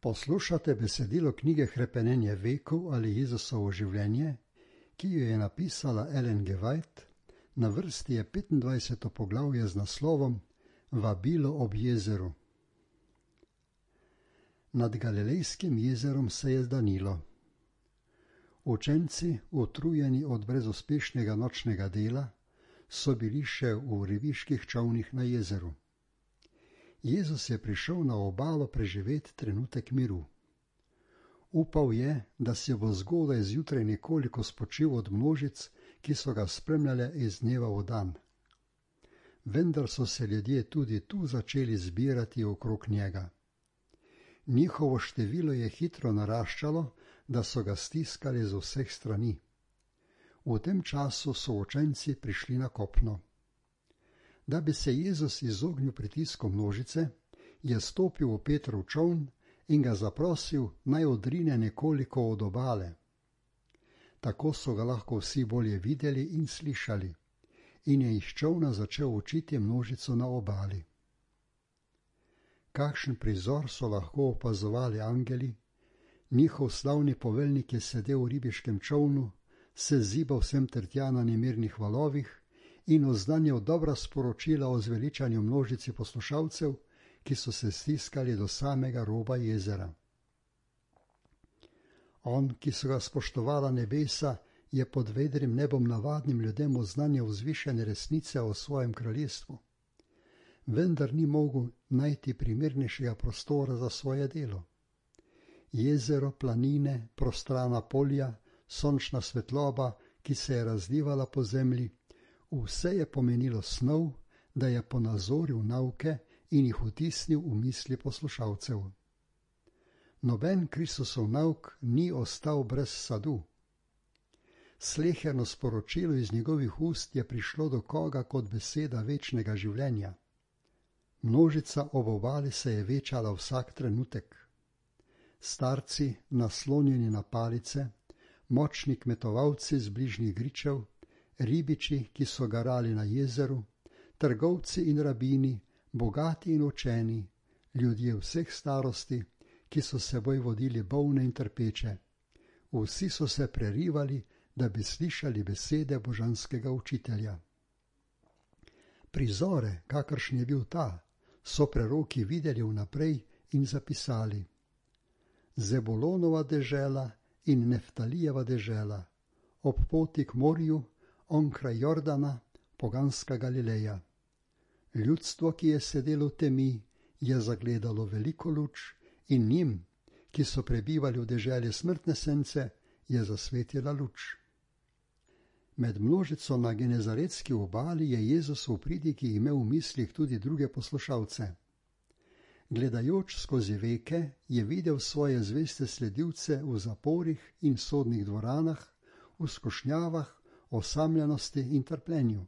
Poslušate besedilo knjige Hrepenenje vekov ali Jezusovo življenje, ki jo je napisala Ellen G. White, na vrsti je 25. poglavje z naslovom Vabilo ob jezeru. Nad Galilejskim jezerom se je zdanilo. Učenci, utrujeni od brezuspešnega nočnega dela, so bili še v ribiških čolnih na jezeru. Jezus je prišel na obalo preživeti trenutek miru. Upal je, da se bo zgodaj zjutraj nekoliko spočil od množic, ki so ga spremljale iz dneva v dan. Vendar so se ljudje tudi tu začeli zbirati okrog njega. Njihovo število je hitro naraščalo, da so ga stiskali z vseh strani. V tem času so učenci prišli na kopno. Da bi se Jezus izognil pritisku množice, je stopil v Petrov čoln in ga zaprosil, naj odrine nekoliko od obale. Tako so ga lahko vsi bolje videli in slišali, in je iz čolna začel učiti množico na obali. Kakšen prizor so lahko opazovali angeli? Njihov slavni poveljnik je sedel v ribiškem čolnu, se zibal sem ter tja na nemirnih valovih in oznanjal dobra sporočila o zveličanju množici poslušalcev, ki so se stiskali do samega roba jezera. On, ki so ga spoštovala nebesa, je pod vedrim nebom navadnim ljudem oznanjal vzvišene resnice o svojem kraljestvu. Vendar ni mogel najti primernejšega prostora za svoje delo. Jezero, planine, prostrana polja, sončna svetloba, ki se je razlivala po zemlji, vse je pomenilo snov, da je ponazoril nauke in jih vtisnil v misli poslušalcev. Noben Kristusov nauk ni ostal brez sadu. Sleherno sporočilo iz njegovih ust je prišlo do koga kot beseda večnega življenja. Množica ob obali se je večala vsak trenutek. Starci, naslonjeni na palice, močni kmetovalci z bližnjih gričev, ribiči, ki so garali na jezeru, trgovci in rabini, bogati in učeni, ljudje vseh starosti, ki so seboj vodili bolne in trpeče. Vsi so se prerivali, da bi slišali besede božanskega učitelja. Prizore, kakršen je bil ta, so preroki videli vnaprej in zapisali. Zebulonova dežela in Neftalijeva dežela, ob poti k morju, onkraj Jordana, poganska Galileja. Ljudstvo, ki je sedelo v temi, je zagledalo veliko luč in njim, ki so prebivali v deželi smrtne sence, je zasvetila luč. Med množico na genezaretski obali je Jezus v pridiki imel v mislih tudi druge poslušalce. Gledajoč skozi veke je videl svoje zveste sledilce v zaporih in sodnih dvoranah, v skušnjavah, osamljenosti in trpljenju.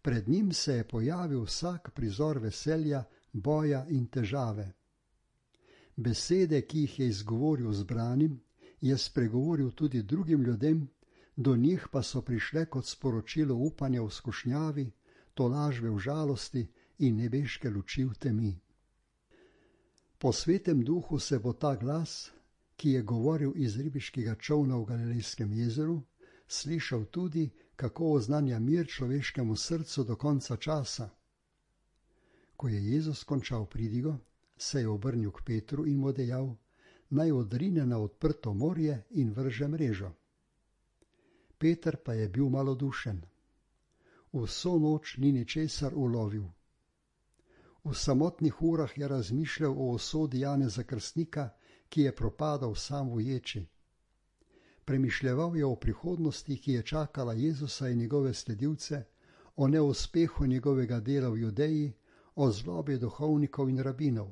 Pred njim se je pojavil vsak prizor veselja, boja in težave. Besede, ki jih je izgovoril zbranim, je spregovoril tudi drugim ljudem, do njih pa so prišle kot sporočilo upanja v skušnjavi, tolažbe v žalosti in nebeške luči v temi. Po svetem duhu se bo ta glas, ki je govoril iz ribiškega čolna v Galilejskem jezeru, slišal tudi, kako oznanja mir človeškemu srcu do konca časa. Ko je Jezus končal pridigo, se je obrnil k Petru in mu dejal, naj odrine na odprto morje in vrže mrežo. Peter pa je bil malodušen. Vso noč ni ničesar ulovil. V samotnih urah je razmišljal o usodi Janeza Krstnika, ki je propadal sam v ječi. Premišljeval je o prihodnosti, ki je čakala Jezusa in njegove sledilce, o neuspehu njegovega dela v Judeji, o zlobi duhovnikov in rabinov.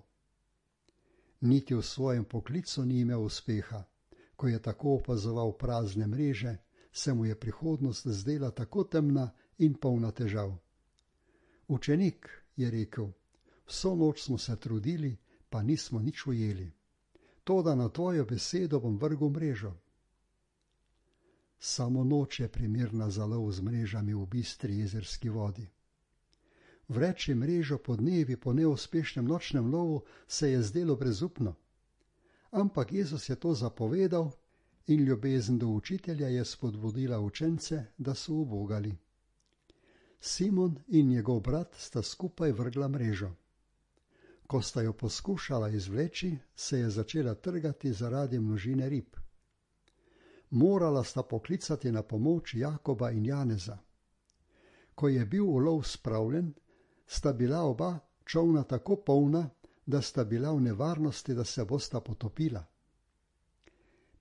Niti v svojem poklicu ni imel uspeha. Ko je tako opazoval prazne mreže, se mu je prihodnost zdela tako temna in polna težav. Učenik, je rekel, vso noč smo se trudili, pa nismo nič ujeli. Toda na tvojo besedo bom vrgel mrežo. Samo noč je primerna za lov z mrežami v bistri jezerski vodi. Vreči mrežo po dnevi po neuspešnem nočnem lovu se je zdelo brezupno. ampak Jezus je to zapovedal in ljubezen do učitelja je spodbudila učence, da so ubogali. Simon in njegov brat sta skupaj vrgla mrežo. Ko sta jo poskušala izvleči, se je začela trgati zaradi množine rib. Morala sta poklicati na pomoč Jakoba in Janeza. Ko je bil ulov spravljen, sta bila oba čolna tako polna, da sta bila v nevarnosti, da se bosta potopila.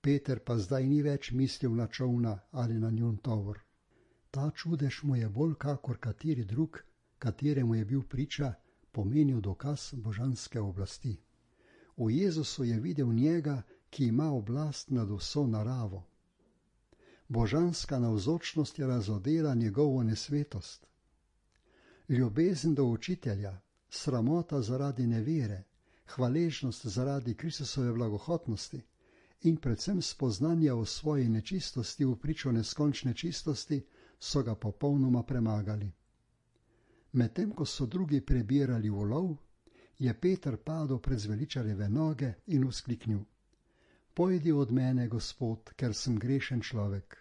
Peter pa zdaj ni več mislil na čolna ali na njun tovor. Ta čudež mu je bolj kakor kateri drug, kateremu je bil priča, pomenil dokaz božanske oblasti. V Jezusu je videl njega, ki ima oblast nad vso naravo. Božanska navzočnost je razodela njegovo nesvetost. Ljubezen do učitelja, sramota zaradi nevere, hvaležnost zaradi Kristusove blagohotnosti in predvsem spoznanja o svoji nečistosti v pričo neskončne čistosti so ga popolnoma premagali. Medtem ko so drugi prebirali ulov, je Peter padel pred zveličarjeve noge in vzkliknil: Pojdi od mene, Gospod, ker sem grešen človek.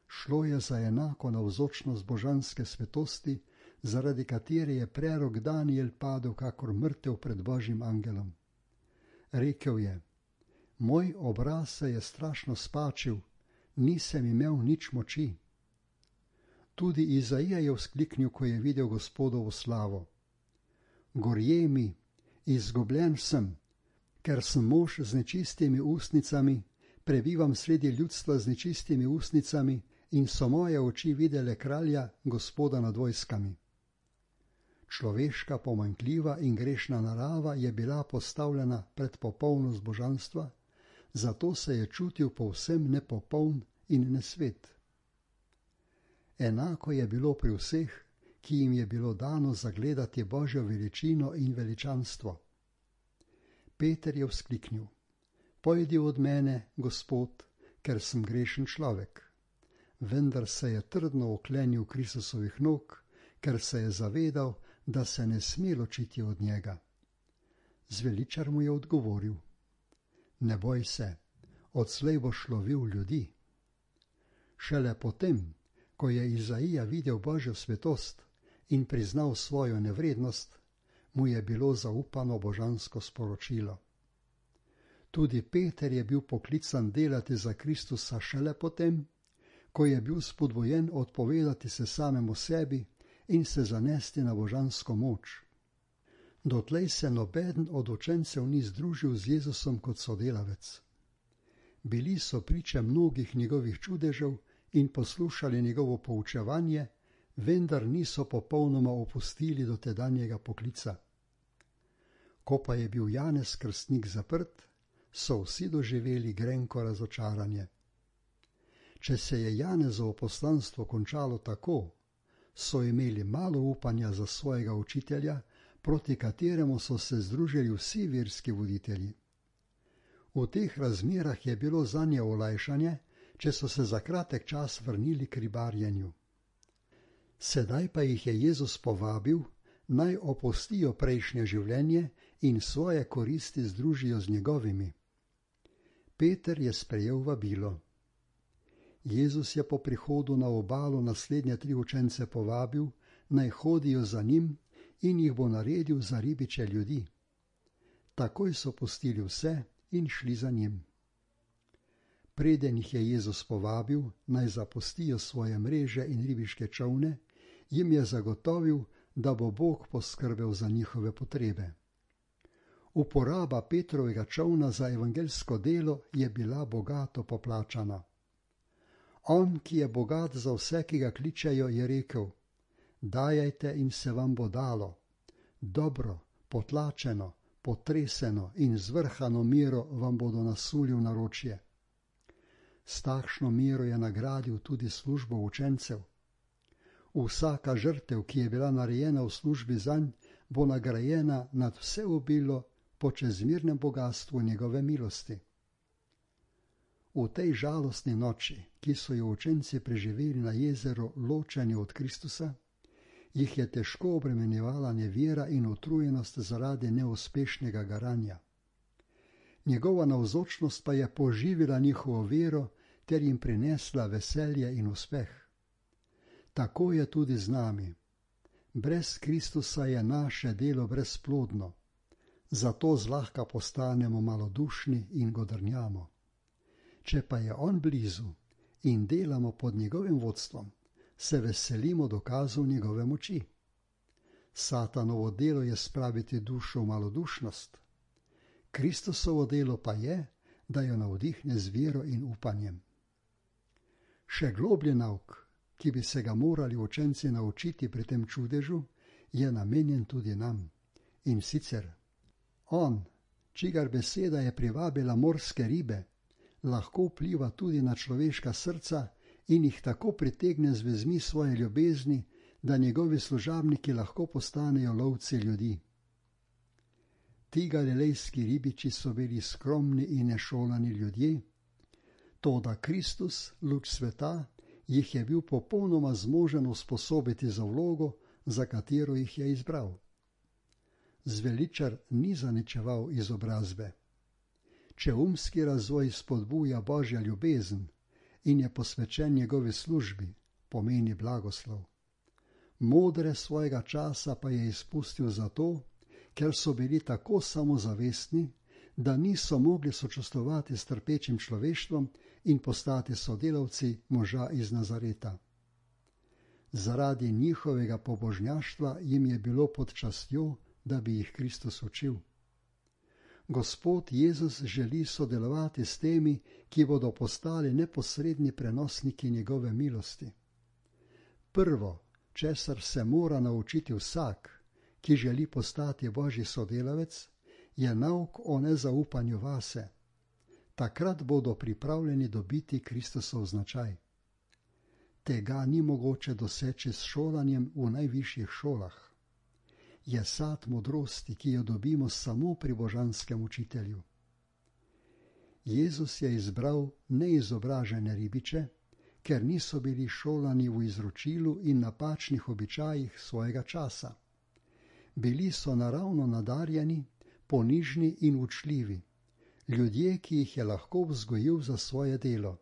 Šlo je za enako navzočnost božanske svetosti, zaradi katere je prerok Daniel padel kakor mrtev pred Božjim angelom. Rekel je: Moj obraz se je strašno spačil, nisem imel nič moči. Tudi Izaija je vzkliknil, ko je videl Gospodovo slavo: Gorje mi, izgubljen sem, ker sem mož z nečistimi ustnicami, prebivam sredi ljudstva z nečistimi ustnicami in so moje oči videle kralja, Gospoda nad vojskami. Človeška pomanjkljiva in grešna narava je bila postavljena pred popolnost božanstva, zato se je čutil povsem nepopoln in nesvet. Enako je bilo pri vseh, ki jim je bilo dano zagledati Božjo veličino in veličanstvo. Peter je vzkliknil: Pojdi od mene, Gospod, ker sem grešen človek. Vendar se je trdno oklenil Kristusovih nog, ker se je zavedal, da se ne sme ločiti od njega. Zveličar mu je odgovoril: Ne boj se, odslej boš lovil ljudi. Šele potem, ko je Izaija videl Božjo svetost in priznal svojo nevrednost, mu je bilo zaupano božansko sporočilo. Tudi Peter je bil poklican delati za Kristusa šele potem, ko je bil spodbujen odpovedati se samemu sebi in se zanesti na božansko moč. Dotlej se nobeden od učencev ni združil z Jezusom kot sodelavec. Bili so priče mnogih njegovih čudežev in poslušali njegovo poučevanje, vendar niso popolnoma opustili dotedanjega poklica. Ko pa je bil Janez Krstnik zaprt, so vsi doživeli grenko razočaranje. Če se je Janezovo poslanstvo končalo tako, so imeli malo upanja za svojega učitelja, proti kateremu so se združili vsi verski voditelji. V teh razmerah je bilo zanje olajšanje, če so se za kratek čas vrnili k ribarjenju. Sedaj pa jih je Jezus povabil, naj opustijo prejšnje življenje in svoje koristi združijo z njegovimi. Peter je sprejel vabilo. Jezus je po prihodu na obalo naslednje 3 učence povabil, naj hodijo za njim in jih bo naredil za ribiče ljudi. Takoj so pustili vse in šli za njim. Preden jih je Jezus povabil, naj zapustijo svoje mreže in ribiške čolne, jim je zagotovil, da bo Bog poskrbel za njihove potrebe. Uporaba Petrovega čolna za evangeljsko delo je bila bogato poplačana. On, ki je bogat za vse, ki ga kličejo, je rekel: Dajajte in se vam bo dalo. Dobro, potlačeno, potreseno in zvrhano mero vam bodo nasuli v naročje. S takšno mero je nagradil tudi službo učencev. Vsaka žrtev, ki je bila narejena v službi zanj, bo nagrajena nad vse obilo po čezmernem bogastvu njegove milosti. V tej žalostni noči, ki so jo učenci preživeli na jezeru ločeni od Kristusa, jih je težko obremenjevala nevera in utrujenost zaradi neuspešnega garanja. Njegova navzočnost pa je poživila njihovo vero ter jim prinesla veselje in uspeh. Tako je tudi z nami. Brez Kristusa je naše delo brezplodno, zato zlahka postanemo malodušni in godrnjamo. Če pa je on blizu in delamo pod njegovim vodstvom, se veselimo dokazov njegove moči. Satanovo delo je spraviti dušo v malodušnost. Kristusovo delo pa je, da jo navdihne z vero in upanjem. Še globlji nauk, ki bi se ga morali učenci naučiti pri tem čudežu, je namenjen tudi nam. In sicer, on, čigar beseda je privabila morske ribe, lahko vpliva tudi na človeška srca in jih tako pritegne z vezmi svoje ljubezni, da njegovi služabniki lahko postanejo lovci ljudi. Ti galilejski ribiči so bili skromni in nešolani ljudje, toda Kristus, luč sveta, jih je bil popolnoma zmožen usposobiti za vlogo, za katero jih je izbral. Zveličar ni zaničeval izobrazbe. Če umski razvoj spodbuja Božja ljubezen in je posvečen njegovi službi, pomeni blagoslov. Modre svojega časa pa je izpustil zato, ker so bili tako samozavestni, da niso mogli sočustvovati s trpečim človeštvom in postati sodelavci moža iz Nazareta. Zaradi njihovega pobožnjaštva jim je bilo pod častjo, da bi jih Kristus učil. Gospod Jezus želi sodelovati s temi, ki bodo postali neposredni prenosniki njegove milosti. Prvo, česar se mora naučiti vsak, ki želi postati Božji sodelavec, je nauk o nezaupanju vase. Takrat bodo pripravljeni dobiti Kristusov značaj. Tega ni mogoče doseči s šolanjem v najvišjih šolah. Je sad modrosti, ki jo dobimo samo pri božanskem učitelju. Jezus je izbral neizobražene ribiče, ker niso bili šolani v izročilu in napačnih običajih svojega časa. Bili so naravno nadarjeni, ponižni in učljivi, ljudje, ki jih je lahko vzgojil za svoje delo.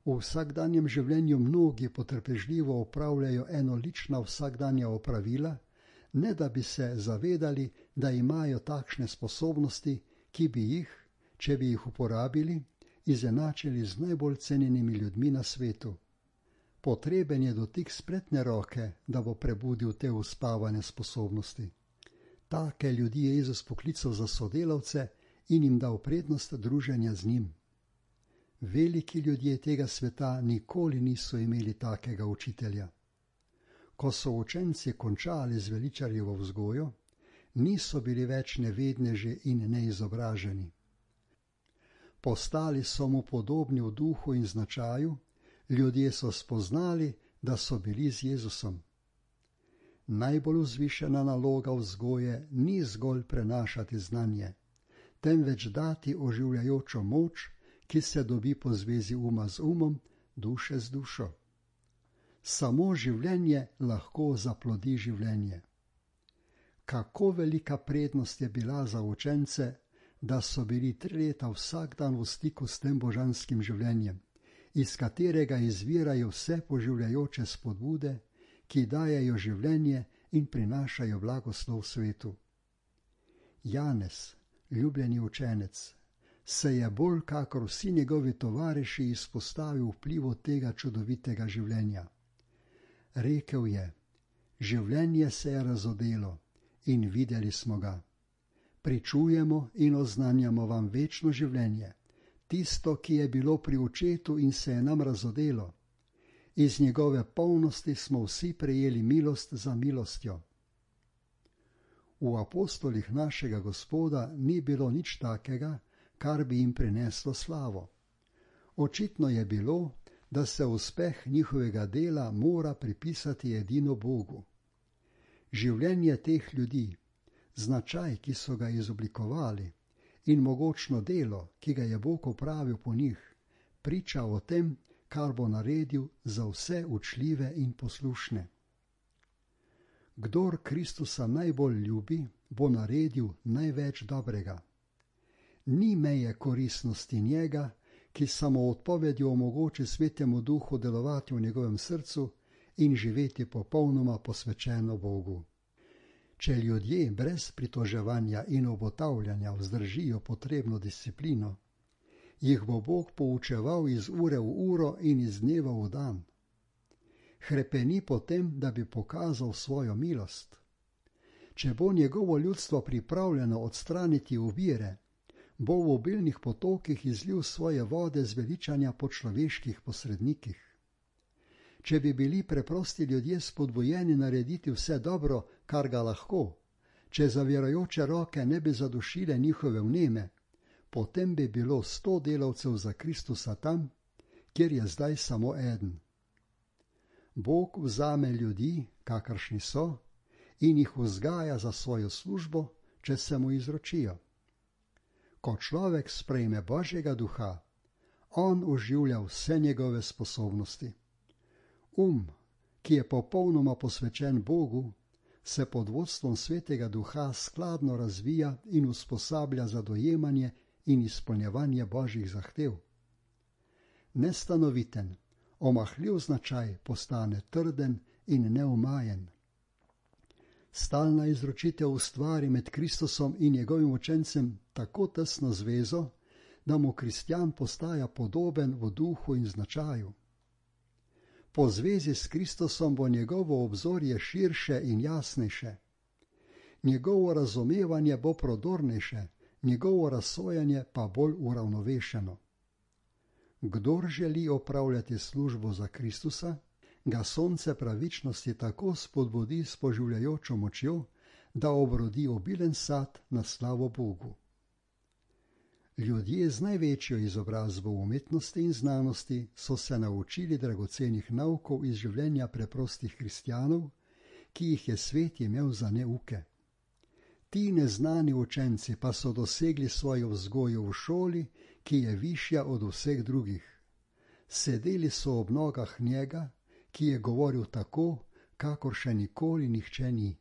V vsakdanjem življenju mnogi potrpežljivo opravljajo enolična vsakdanja opravila, ne da bi se zavedali, da imajo takšne sposobnosti, ki bi jih, če bi jih uporabili, izenačili z najbolj cenjenimi ljudmi na svetu. Potreben je dotik spretne roke, da bo prebudil te uspavane sposobnosti. Take ljudi je Jezus poklical za sodelavce in jim dal prednost druženja z njim. Veliki ljudje tega sveta nikoli niso imeli takega učitelja. Ko so učenci končali z veličarjevo vzgojo, niso bili več nevedneži in neizobraženi. Postali so mu podobni v duhu in značaju, ljudje so spoznali, da so bili z Jezusom. Najbolj vzvišena naloga vzgoje ni zgolj prenašati znanje, temveč dati oživljajočo moč, ki se dobi po zvezi uma z umom, duše z dušo. Samo življenje lahko zaplodi življenje. Kako velika prednost je bila za učence, da so bili 3 leta vsak dan v stiku s tem božanskim življenjem, iz katerega izvirajo vse poživljajoče spodbude, ki dajejo življenje in prinašajo blagoslov svetu. Janez, ljubljeni učenec, se je bolj kakor vsi njegovi tovariši izpostavil vplivu tega čudovitega življenja. Rekel je, življenje se je razodelo in videli smo ga. Pričujemo in oznanjamo vam večno življenje, tisto, ki je bilo pri očetu in se je nam razodelo. Iz njegove polnosti smo vsi prejeli milost za milostjo. V apostolih našega Gospoda ni bilo nič takega, kar bi jim prineslo slavo. Očitno je bilo, da se uspeh njihovega dela mora pripisati edino Bogu. Življenje teh ljudi, značaj, ki so ga izoblikovali, in mogočno delo, ki ga je Bog opravil po njih, priča o tem, kar bo naredil za vse učljive in poslušne. Kdor Kristusa najbolj ljubi, bo naredil največ dobrega. Ni meje koristnosti njega, ki samo odpovedjo omogoči Svetemu Duhu delovati v njegovem srcu in živeti popolnoma posvečeno Bogu. Če ljudje brez pritoževanja in obotavljanja vzdržijo potrebno disciplino, jih bo Bog poučeval iz ure v uro in iz dneva v dan. Hrepeni potem, da bi pokazal svojo milost. Če bo njegovo ljudstvo pripravljeno odstraniti ovire, bo v obilnih potokih izlil svoje vode zveličanja po človeških posrednikih. Če bi bili preprosti ljudje spodbujeni narediti vse dobro, kar ga lahko, če zavirajoče roke ne bi zadušile njihove vneme, potem bi bilo 100 delavcev za Kristusa tam, kjer je zdaj samo eden. Bog vzame ljudi, kakršni so, in jih vzgaja za svojo službo, če se mu izročijo. Ko človek sprejme Božjega duha, on oživlja vse njegove sposobnosti. Ki je popolnoma posvečen Bogu, se pod vodstvom Svetega Duha skladno razvija in usposablja za dojemanje in izpolnjevanje Božjih zahtev. Nestanoviten, omahljiv značaj postane trden in neumajen. Stalna izročitev ustvari med Kristusom in njegovim učencem tako tesno zvezo, da mu kristjan postaja podoben v duhu in značaju. Po zvezi s Kristusom bo njegovo obzorje širše in jasnejše. Njegovo razumevanje bo prodornejše, njegovo razsojanje pa bolj uravnovešeno. Kdor želi opravljati službo za Kristusa, ga sonce pravičnosti tako spodbudi s poživljajočo močjo, da obrodi obilen sad na slavo Bogu. Ljudje z največjo izobrazbo v umetnosti in znanosti so se naučili dragocenih naukov iz življenja preprostih kristjanov, ki jih je svet imel za neuke. Ti neznani učenci pa so dosegli svojo vzgojo v šoli, ki je višja od vseh drugih. Sedeli so ob nogah njega, ki je govoril tako, kakor še nikoli nihče ni.